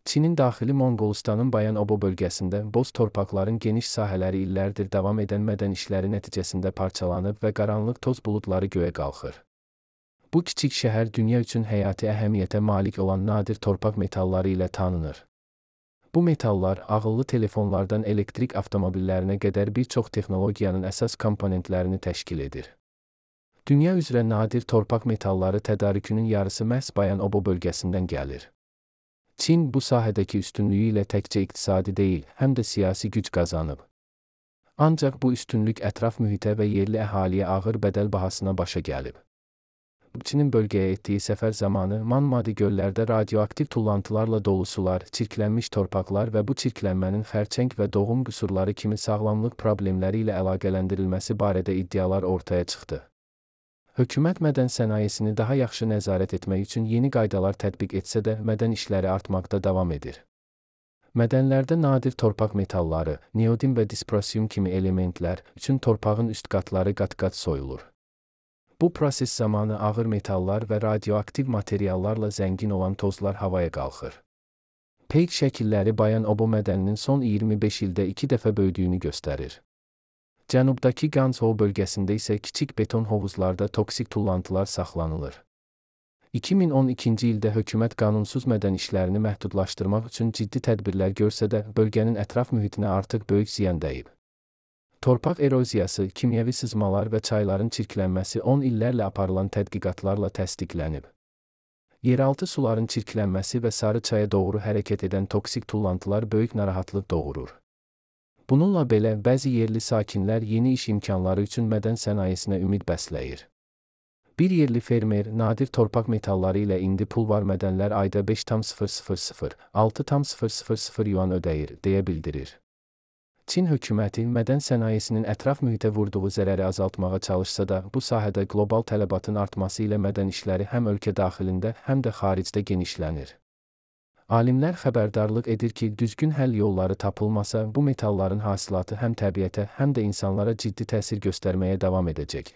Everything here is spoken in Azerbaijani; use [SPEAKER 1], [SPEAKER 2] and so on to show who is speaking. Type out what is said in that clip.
[SPEAKER 1] Çinin daxili Monqolistanın Bayan-Obo bölgəsində boz torpaqların geniş sahələri illərdir davam edən mədən işləri nəticəsində parçalanıb və qaranlıq toz buludları göyə qalxır. Bu kiçik şəhər dünya üçün həyati əhəmiyyətə malik olan nadir torpaq metalları ilə tanınır. Bu metallar ağıllı telefonlardan elektrik avtomobillərinə qədər bir çox texnologiyanın əsas komponentlərini təşkil edir. Dünya üzrə nadir torpaq metalları tədarükünün yarısı məhz Bayan-Obo bölgəsindən gəlir. Çin bu sahədəki üstünlüyü ilə təkcə iqtisadi deyil, həm də siyasi güc qazanıb. Ancaq bu üstünlük ətraf mühitə və yerli əhaliyə ağır bədəl bahasına başa gəlib. Çinin bölgəyə etdiyi səfər zamanı Manmadi göllərdə radioaktiv tullantılarla dolu sular, çirklənmiş torpaqlar və bu çirklənmənin xərçəng və doğum qüsurları kimi sağlamlıq problemləri ilə əlaqələndirilməsi barədə iddialar ortaya çıxdı. Hökumət mədən sənayesini daha yaxşı nəzarət etmək üçün yeni qaydalar tətbiq etsə də mədən işləri artmaqda davam edir. Mədənlərdə nadir torpaq metalları, neodin və disprosium kimi elementlər üçün torpağın üst qatları qat-qat soyulur. Bu proses zamanı ağır metallar və radioaktiv materiallarla zəngin olan tozlar havaya qalxır. Peyk şəkilləri Bayan-Obo mədəninin son 25 ildə 2 dəfə böyüdüyünü göstərir. Cənubdakı Ganzhou bölgəsində isə kiçik beton hovuzlarda toksik tullantılar saxlanılır. 2012-ci ildə hökumət qanunsuz mədən işlərini məhdudlaşdırmaq üçün ciddi tədbirlər görsə də, bölgənin ətraf mühitinə artıq böyük ziyan dəyib. Torpaq eroziyası, kimyəvi sızmalar və çayların çirklənməsi 10 illərlə aparılan tədqiqatlarla təsdiqlənib. Yeraltı suların çirklənməsi və Sarı çaya doğru hərəkət edən toksik tullantılar böyük narahatlıq doğurur. Bununla belə, bəzi yerli sakinlər yeni iş imkanları üçün mədən sənayesinə ümid bəsləyir. Bir yerli fermer nadir torpaq metalları ilə indi pulvar mədənlər ayda 5,000–6,000 yuan ödəyir, deyə bildirir. Çin hökuməti mədən sənayesinin ətraf mühitə vurduğu zərəri azaltmağa çalışsa da, bu sahədə qlobal tələbatın artması ilə mədən işləri həm ölkə daxilində, həm də xaricdə genişlənir. Alimlər xəbərdarlıq edir ki, düzgün həll yolları tapılmasa, bu metalların hasilatı həm təbiətə, həm də insanlara ciddi təsir göstərməyə davam edəcək.